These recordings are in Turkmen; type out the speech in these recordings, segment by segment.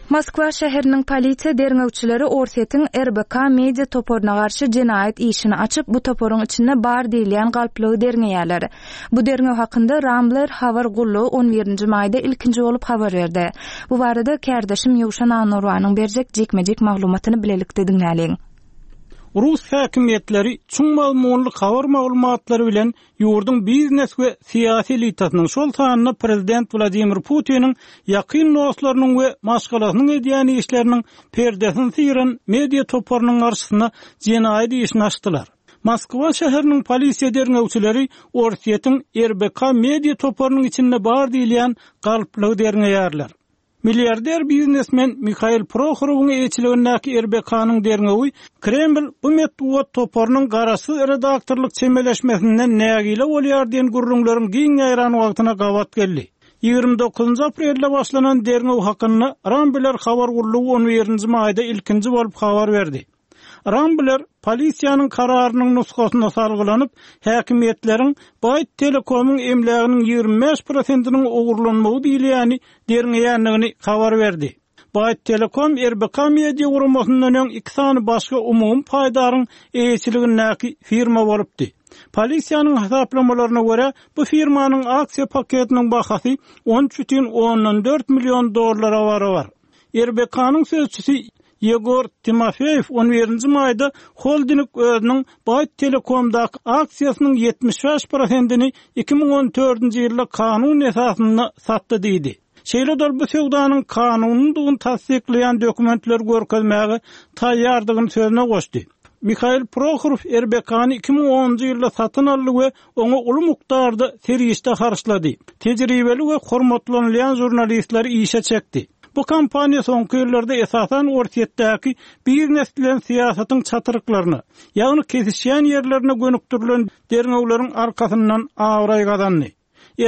Moskwa şäheriniň polisiýa derňewçileri Orsýetiň RBK media toparyna garşy jenaýat işini açyp, bu toparyň içinde bar diýilýän galplygy derňeýärler. Bu derňew hakynda Rambler habar gullugy on birinji maýda ilkinji bolup habar berdi. Bu barada kärdeşim Ýowşan Annurbanyň berjek jikme-jik maglumatyny bilelikde diňläliň. Rus häkimiýetleri çuň mazmunly habar maglumatlary bilen ýurduň biznes we syýasy elitasynyň, şol sanda prezident Wladimir Putiniň ýakyn dostlarynyň we maşgalasynyň edýän işleriniň perdesini syran media toparynyň garşysyna jenaýat işini açdylar. Moskwa şäheriniň polisiýa derňewçileri Orsýetiň RBK media toparynyň içinde bar diýilýän galplygy derňeýärler. Milliarder biznesmen Mihail Prohorowyň eýeçiligindäki RBK-nyň derňewi Kreml bu metbugat toparynyň garaşsyz redaktorlyk çemeleşmesinden nägile bolýar diýen gürrüňleriň giň ýaýran wagtyna gabat geldi. 29 aprelde başlanan derňew hakynda Rambler habar gullugy on birinji maýda ilkinji bolup habar berdi. Rambler polisiýanyň kararynyň nusgasyna salgylanyp, häkimiýetleriň Byte Telecom-yň emläginiň 25 prosentiniň ogurlanmagy diýilýäni derňeýändigini habar berdi. Byte Telecom RBK Media guramasyndan öň iki sany başga umumy paýdaryň eýeçiligindäki firma bolupdy. Polisiýanyň hasaplamalaryna görä, bu firmanyň aksiýa paketiniň bahasy 13,4 million dollara barabar. RBK-nyň sözçüsi Ýegor Timofeýew on birinji maýda holding özüniň Byte Telecom-daky aksiýasynyň 75 prosentini 2014-nji ýylda kanun esasynda satdy diýdi. Şeýle-de ol bu söwdanyň kanunydygyny tassyklaýan dokumentleri görkezmäge taýýardygyny sözüne goşdy. Mihail Prohorow RBK-ny 2010-njy ýylda satyn aldy we oňa uly mukdarda serişde harçlady. Tejribeli we hormatlanylýan žurnalistleri işe çekdi. Bu kompaniýa soňky ýyllarda esasan Orsýetdäki biznes bilen syýasatyň çatryklaryna, ýagny kesişýän ýerlerine gönükdirilen derňewleriň arkasyndan abraý gazandy.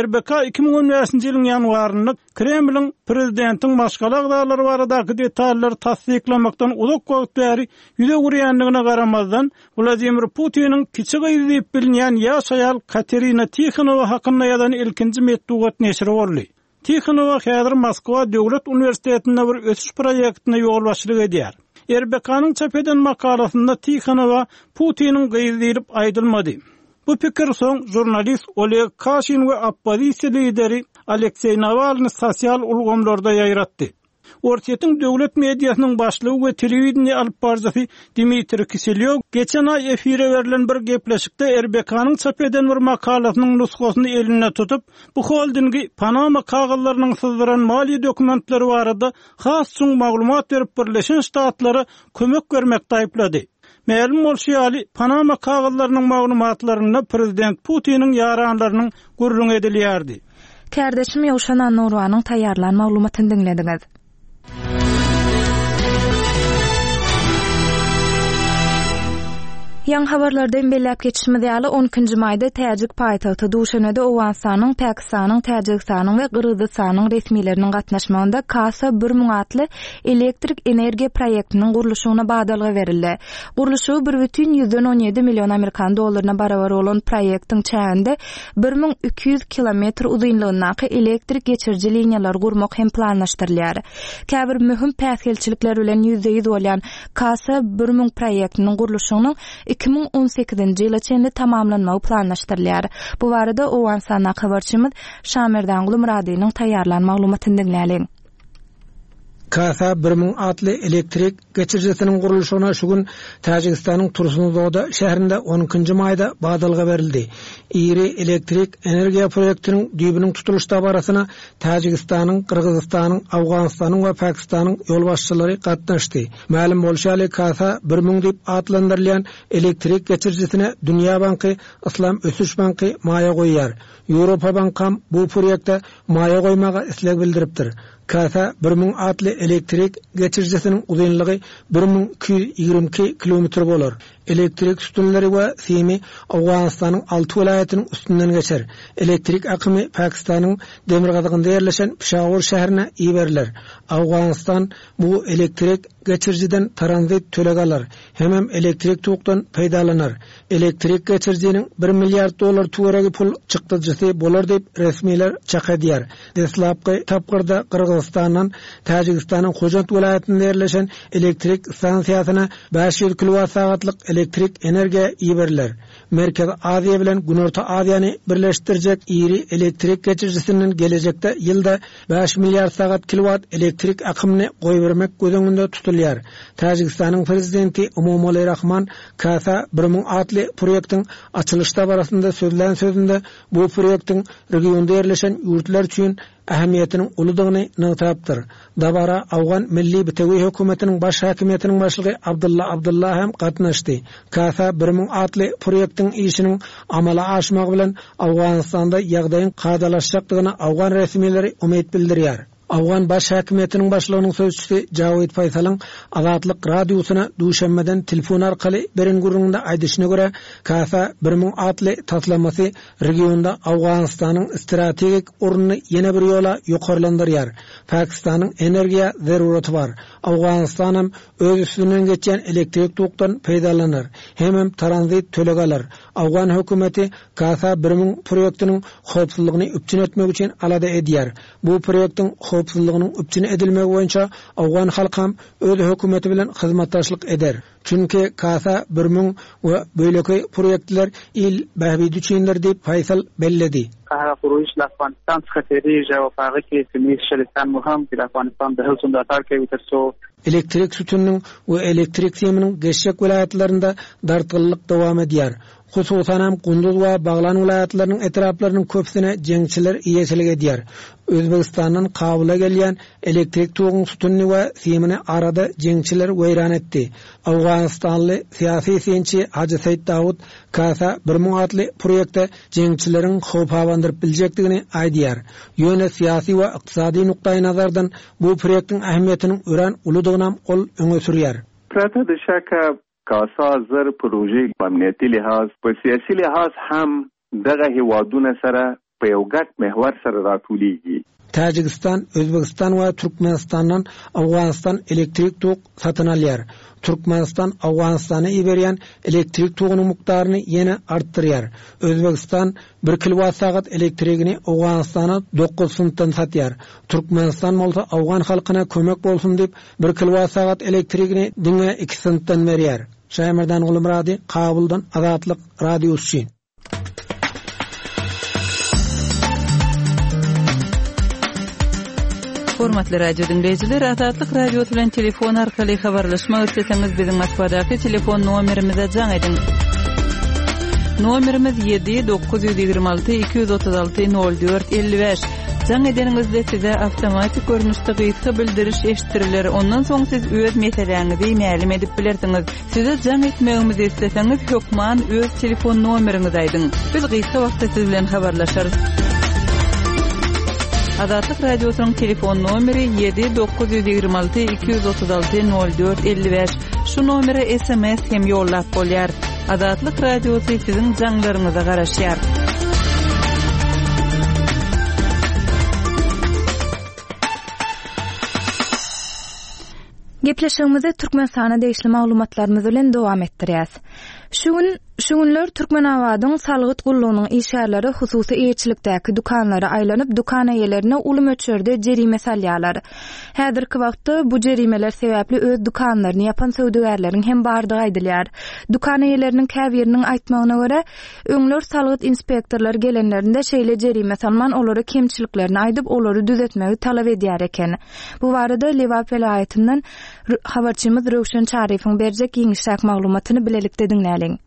RBK 2015-nji ýylyň ýanwarynda Kremliň prezidentiň maşgala agzalary baradaky detallary tassyklamakdan uzak wagt bäri ýüz öwürýändigine garamazdan, Wladimir Putiniň kiçi gyzy diýip bilinýän ýaş aýal Katerina Tihonowa hakynda ýazan ilkinji metbugat neşiri boldy. Tihonowa häzir Moskwa döwlet uniwersitetinde bir ösüş proýektine ýolbaşçylyk edýär. RBK-nyň çap eden makalasynda Tihonowa Putiniň gyzy diýlip aýdylmady. Bu pikir soň žurnalist Oleg Kaşin we oppozisiýa lideri Alekseý Nawalnyý sosial ulgamlarda ýaýratdy. Orsýetiň döwlet mediasynyň başlygy we telewideniýe alypbaryjysy Dmitriý Kiselýow geçen aý efire berlen bir gepleşikde RBK-nyň çap eden bir makalasynyň nusgasyny elinde tutup, bu holdingi Panama kagyzlarynyň syzdyran maliýe dokumentleri barada has çuň maglumat berip Birleşen Ştatlara kömek bermekde aýyplady. Mälim bolşy ýaly, Panama kagyzlarynyň maglumatlarynda prezident Putiniň ýaranlarynyň gürrüňi edilýärdi. Kärdeşim Ýowşan Annurwanyň taýýarlan maglumatyny diňlediňiz. Ýaňy habarlarda hem belläp geçişimiz ýaly, on ikinji maýda täjik paýtagty Duşanbede Owganystanyň, Pakistanyň, Täjigistanyň we Gyrgyzystanyň resmileriniň gatnaşmagynda Kasa 1000 atly elektrik energiýa proýektiniň gurluşygyna badalga berildi. Gurluşygy bir bütin ýüzden on ýedi million amerikan dollaryna barabar bolan proýektiň çäginde 1200 kilometr uzynlygyndaky elektrik geçiriji liniýalary gurmak hem planlaşdyrylýar. Käbir möhüm päsgelçilikler bilen ýüzbe-ýüz bolýan Kasa 1000 proýektiniň gurluşygynyň 2018-nji ýyla çenli tamamlanmagy planlaşdyrylýar. Bu barada Owganystandaky habarçymyz Şamerdanguly Myradynyň taýýarlan maglumatyny diňläliň. Kasa 1000 atly elektrik geçirijisiniň gurluşygyna şu gün Täjigistanyň Tursunzoda şäherinde on ikinji maýda badalga berildi. Iri elektrik energiýa proýektiniň düýbüniň tutulyş dabarasyna Täjigistanyň, Gyrgyzystanyň, Owganystanyň we Pakistanyň ýolbaşçylary gatnaşdy. Mälim bolşy ýaly, Kasa 1000 diýip atlandyrylýan elektrik geçirijisine Dünýä banky, Yslam ösüş banky maýa goýýar. Ýewropa bankam bu proýekte maýa goýmaga isleg bildiripdir. Kasa 1000 atly elektrik geçirijisiniň uzynlygy 1222 kilometr bolar. Elektrik sütünleri we simi Owganystanyň alty welaýatynyň üstünden geçer. Elektrik akymy Pakistanyň demirgazygynda ýerleşen Pişawur şäherine iberiler. Owganystan bu elektrik geçirijiden tranzit töleg alar, hemem elektrik tokdan peýdalanar. Elektrik geçirijiniň bir milliard dollar töweregi pul çykdajysy bolar diýip, resmiler çak edýär. Deslapky tapgyrda Gyrgyzystandan Täjigistanyň Hojant welaýatynda ýerleşen elektrik stansiýasyna 500 kilowat sagatlyk elektrik energiýa iberiler. Merkezi Aziýa bilen Günorta Aziýany birleşdirjek iri elektrik geçirijisinden gelejekde ýylda bäş milliard sagat kilowat elektrik akymyny goýbermek göz öňünde tutulýar. Täjigistanyň Prezidenti Emomali Rahman Kasa 1000 atly proýektiň açylyş dabarasynda sözlän sözünde bu proýektiň regionda ýerleşen ýurtlar üçin ähmiýetiniň uludygyny nygtapdyr. Dabara Owgan Milli bitewi hökümetiniň baş häkimiýetiniň başlygy Abdylla Abdylla hem gatnaşdy. Kasa 1000 atly proýektiň işiniň amala aşmagy bilen Owganystanda ýagdaýyň kadalaşjakdygyna owgan resmileri umyt bildirýär. Owgan baş häkimiýetiniň başlygynyň sözçüsi Jawid Faýsalyň Azatlyk Radiosyna duşenbeden telefon arkaly beren gürrüňinde aýdyşyna görä, Kasa 1000 atly taslamasy regionda Owganystanyň strategik ornuny ýene bir ýola ýokarlandyrýar. Pakistanyň energiýa zeruraty bar. Owganystanam öz üstünden geçýän elektrik tokdan peýdalanar, hemem tranzit töleg alar. Owgan hökümeti Kasa 1000 proýektiniň howpsuzlygyny üpjün etmek üçin alada edýär. Bu proýektiň howpsuzlygynyň üpjün edilmegi boýunça owgan halkam öz hökümeti bilen hyzmatdaşlyk eder. Çünki Kasa 1000 we beýleki proýektler il bähbidi üçindir diýip, Faýsal belledi. هغه پروژه له افغانستان څخه تیریږي او په هغه کې سیمه ییز شریکان مو هم چې د افغانستان د هڅو ملاتړ کوي ترڅو Elektrik sütüniniň we elektrik siminiň geçjek welaýatlarynda dartgynlyk dowam edýär. Hususanam Gunduz we Baglan welaýatlarynyň etraplarynyň köpüsine jeňçiler eýeçilik edýär. Özbegistandan Kabula gelýän elektrik toguň sütünini we simini arada jeňçiler weýran etdi. Owganystanly syýasy synçy Hajy Seýit Dawut Kasa 1000 atly proýekte jeňçileriň howp abandyryp biljekdigini aýdýar. Ýöne syýasy we ykdysady nukdaýnazardan bu proýektiň ähmiýetiniň örän uludygynam ol öňe sürýär. پرته د شکه کاسا زر پروژې په امنیتي لحاظ، په سیاسي لحاظ هم دغه هېوادونه سره په یو ګډ محور سره راټولیږي. Täjigistan, Özbegistan we Türkmenistandan Owganystan elektrik tok satyn alýar. Türkmenistan Owganystana iberýän elektrik togunyň mukdaryny ýene artdyrýar. Özbegistan bir kilowat sagat elektrigini Owganystana dokuz funtdan satýar. Türkmenistan bolsa owgan halkyna kömek bolsun diýip, bir kilowat sagat elektrigini diňe iki funtdan berýär. Şaýmerdan Gulmyrady, Kabuldan Azatlyk Radiosy üçin. Hormatly radio diňleýjiler, Azatlyk Radiosy bilen telefon arkaly habarlaşmak isleseňiz, biziň Moskwadaky telefon nomerimize jaň ediň. Nomerimiz 7 926 236 04 55. Jaň edeniňizde size awtomatik görnüşde gysga bildiriş eşitdiriler. Ondan soň siz öz meseläňizi mälim edip bilersiňiz. Size jaň etmegimizi isleseňiz, hökman öz telefon nomeriňizi aýdyň. Biz gysga wagtda siz bilen habarlaşarys. Azatlyk Radiosynyň telefon nomeri 7 926 236 04 55. Şu nomere SMS hem ýollap bolýar. Azatlyk Radiosy siziň jaňlaryňyza garaşýar. Gepleşigimizi Türkmenistana degişli maglumatlarymyz bilen dowam etdirýäs. Şu gün şu günler Türkmenabadyň salgyt gullugynyň işgärleri hususy eýeçilikdäki dükanlara aýlanyp, dükan eýelerine uly möçberde jerime salýarlar. Häzirki wagtda bu jerimeler sebäpli öz dükanlaryny ýapan söwdagärleriň hem bardygy aýdylýar. Dükan eýeleriniň käbiriniň aýtmagyna görä, öňler salgyt inspektorlary gelenlerinde şeýle jerime salman, olara kemçiliklerini aýdyp, olary düzetmegi talap edýär eken. Bu barada Lebap welaýatyndan habarçymyz Röwşen Çaryýewiň berjek giňişräk maglumatyny bilelikde diňläliň.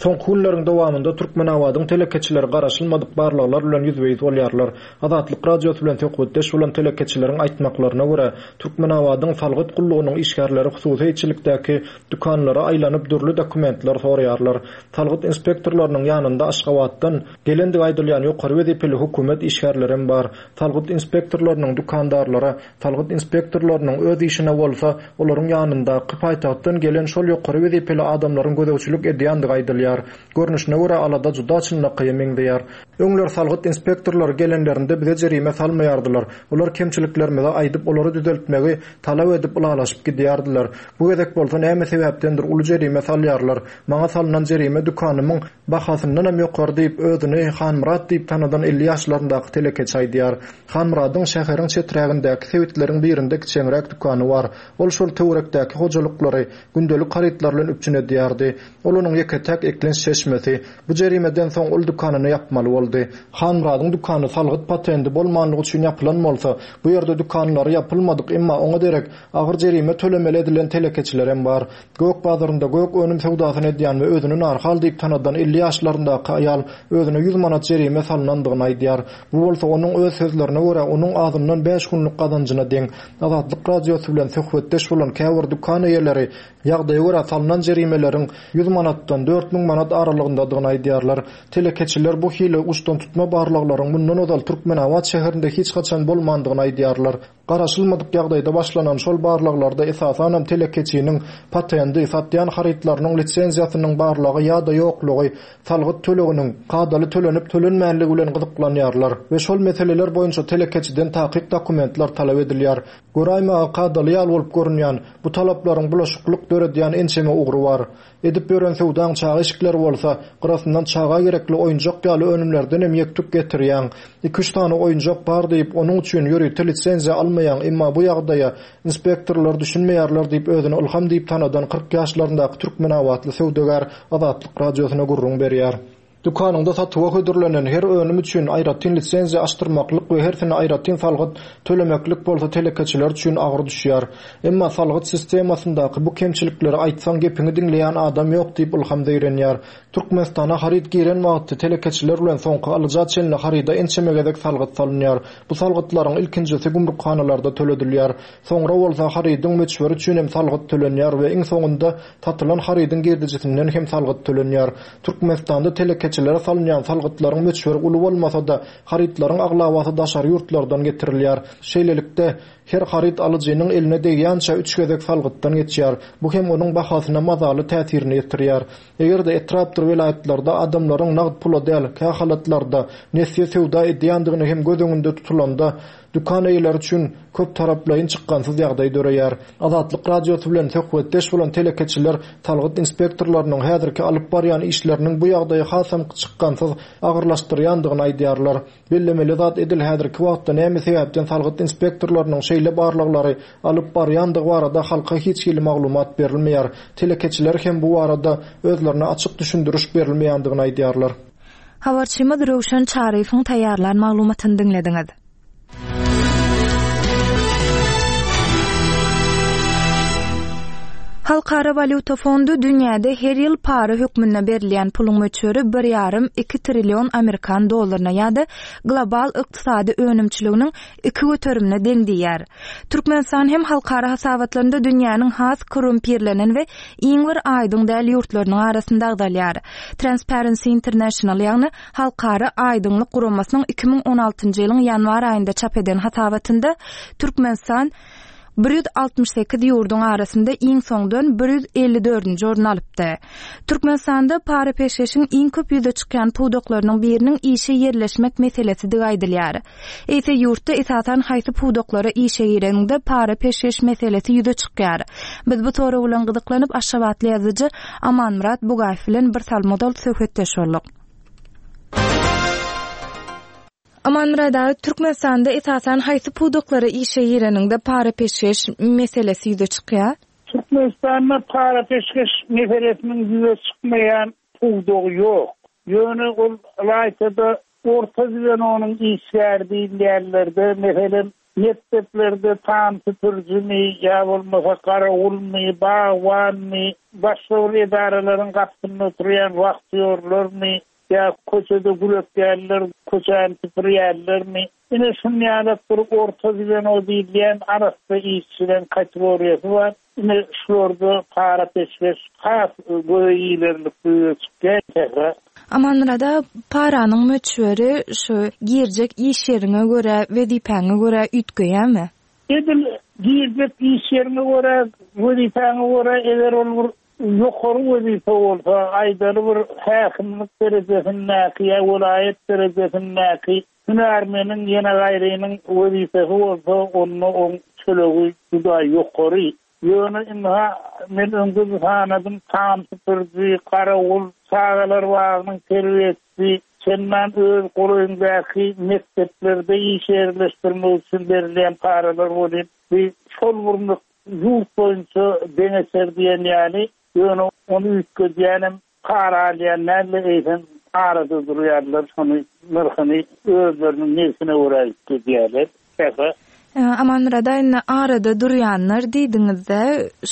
Soňky günleriň dowamynda Türkmenabadyň telekeçileri garaşylmadyk barlaglar bilen ýüzbe-ýüz bolýarlar. Azatlyk Radiosy bilen söhbetdeş bolan telekeçileriň aýtmaklaryna görä, Türkmenabadyň salgyt gullugynyň işgärleri hususy eýeçilikdäki dükanlara aýlanyp dürli dokumentler soraýarlar. Salgyt inspektorlarynyň ýanynda Aşgabatdan gelendigi aýdylýan ýokary wezipeli hökümet işgärlerem bar. Salgyt inspektorlarynyň dükandarlara, salgyt inspektorlarynyň öz işine bolsa, olaryň ýanyndaky paýtagtdan gelen şol ýokary wezipeli adamlaryň gözegçilik edýändigi aýdylýar. Görnüşine görä, alada juda çynlakaýa meňzeýär. Öňler salgyt inspektorlary gelenlerinde bize jerime salmaýardylar. Olar kemçiliklerimizi aýdyp, olary düzeltmegi talap edip ylalaşyp gidýärdiler. Bu gezek bolsa näme sebäpdendir uly jerime salýarlar. Maňa salnan jerime dükanymyň bahasyndanam ýokary diýip, özüni Hanmyrat diýip tanadan 50 ýaşlaryndaky telekeçi aýdýar. Hanmyradyň şäheriň çeträgindäki sebitleriň birinde kiçeňräk dükany bar. Ol şol töwerekdäki hojalyklary gündelik harytlar bilen üpjün edýärdi. Ol onuň ýeke-täk eklenç çeşmesi. Bu jerimeden soň ol dükanyny ýapmaly boldy. Hanmyradyň dükany salgyt patendi bolmanlygy üçin ýapylan bolsa, bu ýerde dükanlary ýapylmadyk, emma oňa derek agyr jerime tölemeli edilen telekeçilerem bar. Gök bazarynda gök önüm söwdasyny edýän we özüni Narhal diýip tanadan 50 ýaşlaryndaky aýal özüne 100 manat jerime salnandygyny aýdýar. Bu bolsa onuň öz sözlerine görä onuň azyndan bäş günlük gazanjyna deň. Azatlyk Radiosy bilen söhbetdeş bolan käbir dükan eýeleri ýagdaýa görä salnan jerimeleriň 100 manatdan 4000 manat aralygyndadygyny aýdýarlar. Telekeçiler bu hili uçdantutma barlaglaryň mundan ozal Türkmenabat şäherinde hiç haçan bolmandygyny aýdýarlar. Garaşylmadyk ýagdaýda başlanan şol barlaglarda esasanam telekeçiniň patendi, satýan harytlarynyň lisenziýasynyň barlygy ýa-da ýoklugy, salgyt töleginiň kadaly tölenip-tölenmänligi bilen gyzyklanýarlar we şol meseleler boýunça telekeçiden takyk dokumentler talap edilýär. Göräýmäge kadaly ýaly bolup görünýän bu talaplaryň bulaşyklyk döredýän ençeme ugry bar. Edip ýören söwdaň çaga eşikleri bolsa, gyrasyndan çaga gerekli oýunjak ýaly önümlerdenem ýek-tük getirýäň. Iki-üç sany oýunjak bar diýip, onuň üçin ýörite lisenziýa almaýaň, emma bu ýagdaýa inspektorlar düşünmeýärler diýip, özüni Ylham diýip tanadan 40 ýaşlaryndaky türkmenabatly söwdagär Azatlyk Radiosyna gürrüň berýär. Dükanyňda satuwa hödürlenen her önüm üçin aýratyn lisenziýa açdyrmaklyk we hersine aýratyn salgyt tölemeklik bolsa telekeçiler üçin agyr düşýär. Emma salgyt sistemasyndaky bu kemçilikleri aýtsaň gepiňi diňleýän adam ýok diýip Ylham zeýrenýär. Türkmenistana haryt giren wagty telekeçiler bilen soňky alyja çenli haryda ençeme gezek salgyt salynýar. Bu salgytlaryň ilkinjisi gümrükhanalarda töledilýär. Soňra bolsa harydyň möçberi üçin hem salgyt tölenýär we iň soňunda satylan harydyň girdejisinden hem salgyt tölenýär. Türkmenistanda telekeçilere salynýan salgytlaryň möçberi uly bolmasa-da, harytlaryň aglabasy daşary ýurtlardan getirilýär. Şeýlelikde, her haryt alyjynyň eline degýänçä üç gezek salgytdan geçýär. Bu hem onuň bahasyna mazaly täsirini ýetirýär. Eger-de etrapdyr welaýatlarda adamlaryň nagt pula däl, kähalatlarda nesýe söwda edýändigini hem göz öňünde tutulanda, dükan eýeleri üçin köptaraplaýyn çykgynsyz ýagdaý döreýär. Azatlyk Radiosy bilen söhbetdeş bolan telekeçiler salgyt inspektorlarynyň häzirki alyp barýan işleriniň bu ýagdaýy hasam çykgynsyz agyrlaşdyrýandygyny aýdýarlar. Bellemeli zat edil häzirki wagtda näme sebäpden salgyt inspektorlarynyň şeýle barlaglary alyp barýandygy barada halka hiç hili maglumat berilmeýär. Telekeçiler hem bu barada özlerine açyk düşündiriş berilmeýändigini aýdýarlar. Habarçymyz Röwşen Çaryýewiň taýýarlan maglumatyny diňlediňiz. Halkara walýuta fondy dünýäde her ýyl para hökmünde berilýän puluň möçberi bir ýarym, iki trillion amerikan dollaryna ýa-da global ykdysady önümçiliginiň iki göterimine deň diýýär. Türkmenistan hem halkara hasabatlarynda dünýäniň has korrumpirlenen we iň bir aýdyň däl ýurtlarynyň arasynda agzalýar. Transparency International, ýagny Halkara aýdyňlyk guramasynyň 2016-njy ýylyň ýanwar aýynda çap eden hasabatynda Türkmenistan 168 ýurduň arasynda iň soňdan 154-nji orny alypdy. Türkmenistanda para-peşgeşiň iň köp ýüze çykýan pudaklarynyň biriniň işe ýerleşmek meselesidigi aýdylýar. Eýse ýurtda esasan haýsy pudaklara işe gireniňde para-peşgeş meselesi ýüze çykýar? Biz bu sorag bilen gyzyklanyp, aşgabatly ýazyjy Amanmyrat Bugaýew bilen bir salym ozal söhbetdeş bolduk. Amanmyrat aga, Türkmenistanda esasan haýsy pudaklara işe gireniňde para-peşgeş meselesi ýüze çykýar? Türkmenistanda para-peşgeş meselesiniň ýüze çykmaýan pudagy ýok. Ýöne ol ylaýta-da orta zwenonyň işgäri diýilýänlerde, meselem, Mekdeplerde tam süpürijimi ýa bolmasa garawulmy, bagbanmy, başga bir edaralaryň gapysynda oturýan wahtýorlarmy ýa köçede gül ekýänler, köçäni süpürýänlermi, ine şuny ýalak bir orta zweno diýilýän arassa işçileň kategoriýasy bar. Ine şularda para-peşgeş has göze ilerlikli ýüze çykýar, Sähra. Amanmyrat aga, paranyň möçberi şu girjek iş ýeriňe görä, wezipäňe görä üýtgeýärmi? Edil girjek iş ýeriňe görä, wezipäňe görä, eger ol bir ýokary wezipe bolsa, aýdaly bir häkimlik derejesindäki ýa welaýat derejesindäki Hünärmeniň ýene gaýrynyň wezipesi bolsa, onda oň tölegi juda ýokary. Ýöne ynha, men öňde-de sanadym, tam süpüriji, garawul, çagalar bagynyň terbiýeçisi, çendan öz golaýyňdaky mekdeplerde işe ýerleşdirmek üçin berilýän paralar welin, bi şol bir ýurt boýunça deňeçer diýen ýaly, ýöne ony üýtgedýänem Para alýan däl-de, eýsem arada durýarlar, şony nyrhyny özleriniň nebsine görä üýtgedýärler. Sähra. Amanmyrat aga, indi arada durýanlar diýdiňiz-de,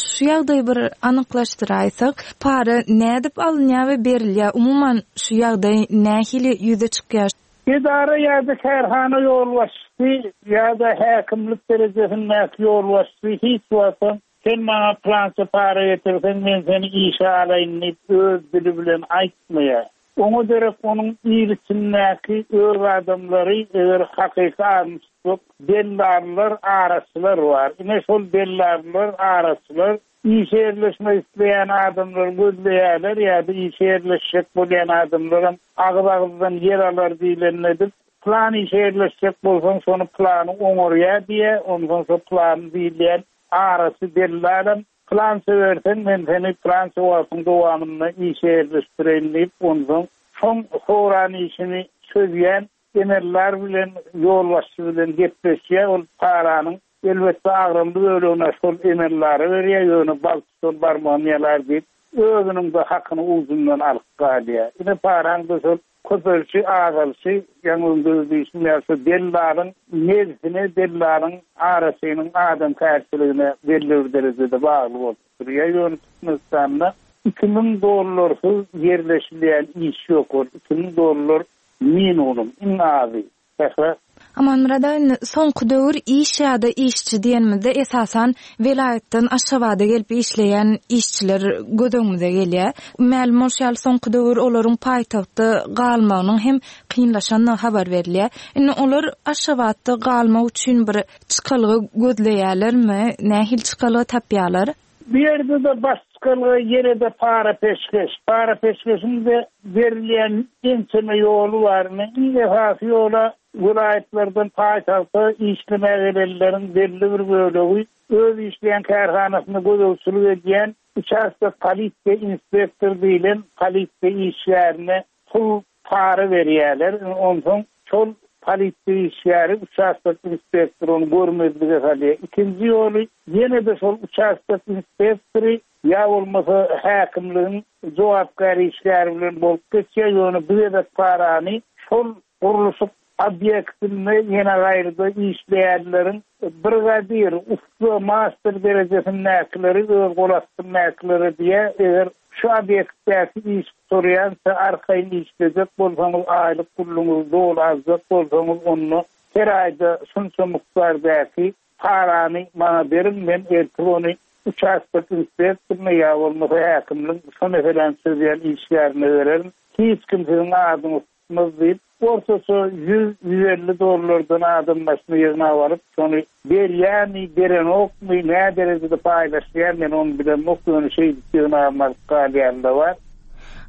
şu ýagdaýy bir anyklaşdyraýsak, para nädip alynýar we berilýär? Umuman, şu ýagdaý nähili ýüze çykýar? Edara ýa-da kärhana ýolbaşçysy ýa-da häkimlik derejesindäki ýolbaşçy hiç wagtam Sen maňa pylança para getirseň, men seni işe alaýyn diýip, öz dili bilen aýtmaýar. Oňa derek onuň il içindäki öz adamlary, eger hakyky adyny tutsak, dellallar, araçylar bar. Ine, şol dellallar, araçylar işe ýerleşmek isleýän adamlary gözleýärler ýa-da işe ýerleşjek bolýan adamlaram agyz-agyzdan ýer alar diýlenini edip, Pylan işe ýerleşjek bolsaň, şony pylany oňarýar diýýär, onsoň şo pylany diýilýän Arasy dellalam, Pylança berseň, men seni pylança wagtyň dowamynda işe ýerleşdireýin diýip, onsoň şoň soran işini çözýän emeldar bilen, ýolbaşçy bilen gepleşýär. Ol paranyň, elbetde, agramly bölegini şol emeldara berýär, ýöne bal tutan barmagyny ýalar diýip, özüniň-de hakyny ujundan alyp galýar. Ine, paraň-da şol Köpelişi, azalyşy, ýaňy öňde-de diýşim ýaly, şu dellalyň nebsine, dellalyň araçynyň adamkärçiligine belli bir derejede bagly bolup durýar. Ýöne Türkmenistanda 2000 dollarsyz ýerleşilýän iş ýok, ol 2000 dollar minimum, iň azy. Sähra. Amanmyrat aga indi soňky döwür iş ýa-da işçi diýenimizde esasan welaýatdan Aşgabada gelip işleýän işçiler göz öňümize gelýär. Mälim bolşy ýaly soňky döwür olaryň paýtagtda galmagynyň hem kynlaşandygy habar berilýär. Indi olar Aşgabatda galmak üçin bir çykalga gözleýärlermi? Nähili çykalga tapýarlar? Bu ýerde-de baş çykalga ýene-de para-peşgeş. Para-peşgeşiň-de berilýän ençeme ýoly bar. Indi iň esasy ýola welaýatlardan paýtagta işlemäge gelenleriň belli bir bölegi öz işleýän kärhanasynda gözegçilik edýän uçastok polisiýa inspektory diýlen polisiýa işgärine pul para berýärler. Onsoň şol polisiýa işgäri, uçastok inspektory ony görmezlige salýar. Ikinji ýoly ýene-de şol uçastok inspektory ýa bolmasa häkimligiň jogapkär işgäri bilen bolup geçýär, ýöne bu gezek parany şol gurluşyk obýektinde ýene gaýryda işleýänleriň brigadir, ussa, master derejesindäkileri öz gol astyndakilere diýýär, eger şu obýektdäki iş gutarýança arkaýyn işlejek bolsaňyz, aýlyk puluňyzy doly aljak bolsaňyz, onda her aýda şunça mukdardäki parany maňa beriň, men ertir ony uçastok inspektoryna ýa bolmasa häkimligiň şo meseläni çözýän işgärine bererin, hiç kim siziň adyňyzy tutmaz diýip, ortaça 100-150 dollardan adam başyna ýygnap alyp, şony berýärmi, berenokmy, nä derejede paýlaşýar, men ony bilemok, ýöne şeýdip ýygnabam alyp galýan-da bar.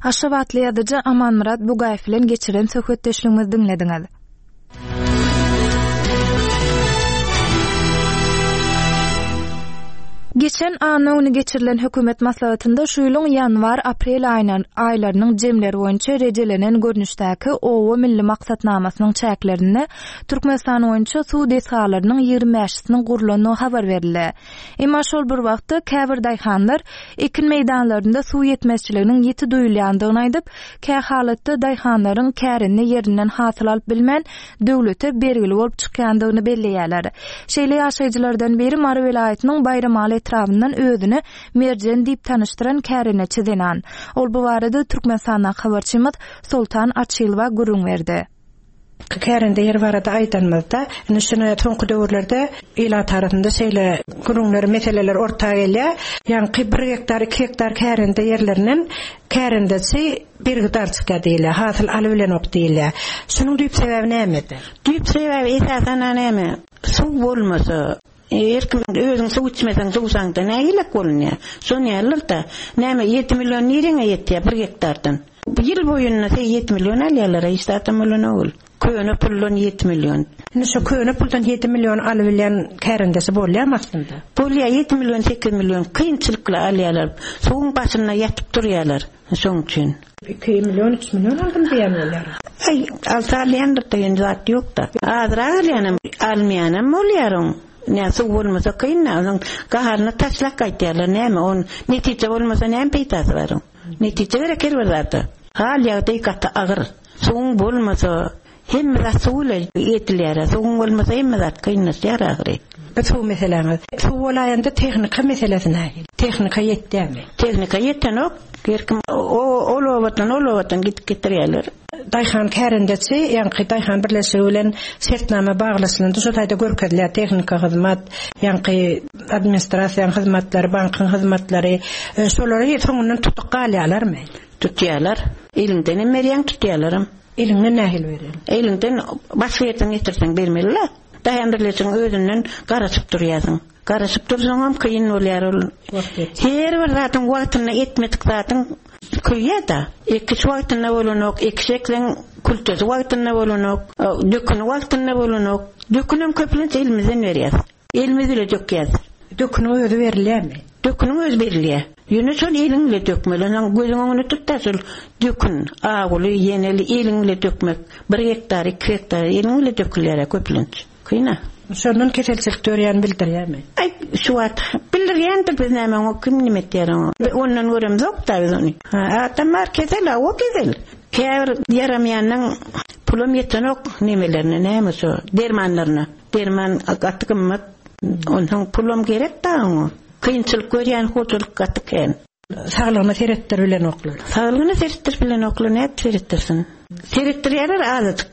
Aşgabatly ýazyjy Amanmyrat Bugaýew bilen geçiren söhbetdeşligimizi diňlediňiz. Geçen. Geçen anna güni geçirilen hökümet maslahatynda şu ýylyň ýanwar-aprel aýlarynyň jemleri boýunça rejelenen görnüşdäki Oba milli maksatnamasynyň çäklerinde Türkmenistan boýunça suw desgalarynyň 20 bäşisiniň gurlandygy habar berildi. Emma şol bir wagtda käbir daýhanlar ekin meýdanlarynda suw ýetmezçiliginiň ýiti duýulýandygyny aýdyp, kähalatda daýhanlaryň kärende ýerinden hasyl alyp bilmän, döwlete bergili bolup çykýandygyny belleýärler. Şeýle ýaşaýjylardan biri Mary welaýatynyň Baýramaly etrabyndan özüni Merjen diýip tanyşdyran kärendeçi zenan. Ol bu barada Türkmenistandaky habarçymyz Soltan Açylowa gürrüň berdi. Kärende ýeri barada aýdanymyzda, indi şuny soňky döwürlerde ilat arasynda şeýle gürrüňler, meseleler orta gelýär. Ýaňky bir gektar, iki gektar kärende ýerlerinden kärendeçi bergidar çykýar diýilýär, hasyl alybilenok diýilýär. Şunuň düýp sebäbi nämede? Düýp sebäbi esasan-a näme? Suw bolmasa, Her kim özüň suw içmeseň suwsaňda nägilek bolunýar. Şon ýalydyr-da. Näme ýedi million nireňe ýetýär bir gektardan. Ýyl boýunda se ýedi million alýarlar-a hiç zatam bolanok ol. Köne puldan ýedi million. Indi şo köne puldan ýedi million alybilýän kärendesi bolýarmy aslynda? Bolýar ýedi million sekiz million kynçylyk bilen alýarlar. Suwuň başynda ýatyp durýarlar şoň üçin. Iki million, üç million aldym diýen bolýar. Aý, alsa alýandyr-da, ýöne zat ýok-da. Azrak alýanam, almaýanam bolýar oň. Nä, suw bolmasa kyn-da, onuň gaharyny taşlap gaýtýarlar, näme, on netije bolmasa näme peýdasy bar oň. Netije gerek her bir zada. Hal-ýagdaý gaty agyr. Suwuň bolmasa, Hemme zat suw ile edilýär-ä. Suwuň bolmasa hemme zat kynlaşýar ahyry. Bu suw meseläňiz. Suw bolaýanda tehnika meselesi nähili? Tehnika ýetýärmi? Tehnika ýetenok. Her kim ol obadan, ol obadan gidip getirýärler. Daýhan kärendeçi, ýaňky daýhan birleşigi bilen şertnama baglaşylanda şo taýda görkezilýär tehnika hyzmat, ýaňky administrasiýanyň hyzmatlary, bankyň hyzmatlary. Şolary soňundan tutup galýarlarmy? Tutýarlar. Eliňdenem berýäň, tutýarlaram. Eliňden nähili berýäň? Eliňden başga ýerden getirseň bermeli-le. Daýhan birleşigiň özünden garaşyp durýarsyň. Garaşyp dursaňam kyn bolýar ol. Her bir zadyň wagtynda etmedik zadyň köýýär-de. Ekiş wagtynda bolanok, ekiş ekseň kültesi wagtynda bolanok, döküni wagtynda bolanok. Dökünem köplenç elimizden berýäs. Elimiz bile dökýäs. Döküniň özi berilýärmi? Döküniň özi berilýär. Ýöne şol eliň bile dökmeli. Onsoň gözüň öňünde tut-da şol dökün, awuly, ýeneli eliň bile dökmek. Bir gektar, iki gektar eliň bile dökülýär-ä köplenç. Kyn-a. Şondan keselçilik dörýäni bildirýärmi? Aý, şu wagt bildirýändir, biz näme oňa kim nime etýär oňa. Ondan göremzok-da biz ony. Adam bar kesel-a, o kesel. Käbir ýaramaýanyň pulam ýetenok nemelerine, näme şo dermanlaryna. Derman gaty gymmat. Onsoň pulam gerek da oňa. Kynçylyk görýän hojalyk gaty kän. Saglygyna seretdirip bilenoklar. Saglygyna seretdirip bilenoklar, nädip seretdirsin? Seretdirýärler azajyk.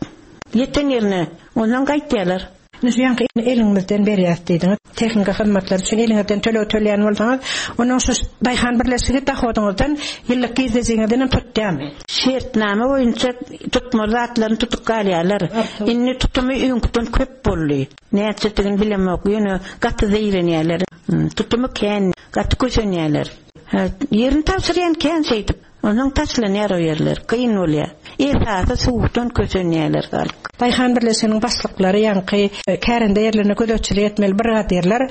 Ýeten ýerine. Onsoň gaýtýarlar. Indi şu ýaňky eliňizden berýäs diýdiňiz. Tehnika hyzmatlary üçin eliňizden töleg töleýän bolsaňyz, onuň şu daýhan birleşigi dohodyňyzdan, ýyllyk girdejiňizden hem tutýarmy? Şertnama boýunça tutmaly zatlaryny tutup galýarlar. Indi tutumy öňküden köp boldy. Näçedigini bilemok, ýöne gaty zeýrenýärler. Tutumy kän, gaty kösenýärler. Ýerini tabşyrýan kän şeýdip. Onsoň taşlanýar o ýerler, kyn bolýar. Esasy suwdan kösenýärler halk. Daýhan birleşiginiň başlyklary ýaňky kärende ýerlerine gözegçilik etmeli brigadirler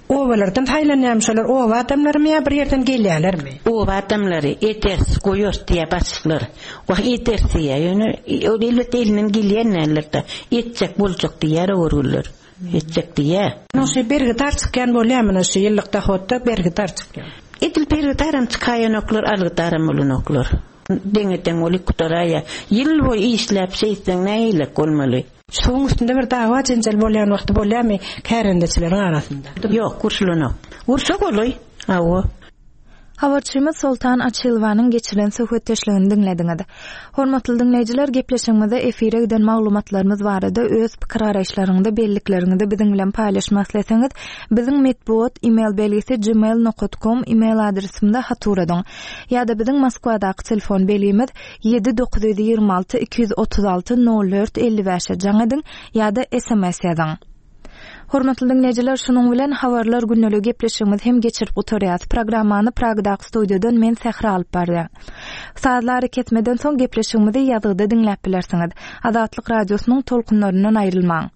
obalardan saýlanýarmy şolar oba adamlarymy ýa bir ýerden gelýälermi? Oba adamlary ederis goýarys diýýär başlyklar. Wah ederis diýýär ýöne ol elbetde elinden gelýän däldir-de etjek boljak diýýär o görgüliler. Etjek diýýä. Munuň şu bergidar çykýan bolýa muny şu ýyllyk dohodda bergidar çykýa. Edil bergidaram çykaýanoklar algydaram bolanoklar. Deňe deň bolup gutaraýa. Ýyl boýy işläp şeýtseň nähilek bolmaly. Suwuň üstünde bir dawa jenjel bolýan wagty bolýamy kärendeçileriň arasynda? Ýok urşulanok. Urşa golaý. Hawa. Habarçymyz Soltan Açylowanyň geçiren söhbetdeşligini diňlediňiz. Hormatly diňleýjiler, gepleşigimizde efire giden maglumatlarymyz barada öz pikir-garaýyşlaryňyzy, bellikleriňizi biziň bilen paýlaşmak isleseňiz, biziň metbugat e-mail belgisi gmail nokat kom e-mail adresimize hat ugradyň. Ýa-da biziň Moskwadaky telefon belgimiz 7 926 236 04 55-e jaň ediň ýa-da sms ýazyň. Hormatly diňleýjiler, şunuň bilen Habarlar gündeliği gepleşigimizi hem geçirip gutarýas. Programmany Pragadaky studiýadan men Sähra alyp barýan. Sazly arakesmeden soň gepleşigimizi ýazgyda diňläp bilersiňiz. Azatlyk Radiosynyň tolkunlaryndan aýrylmaň.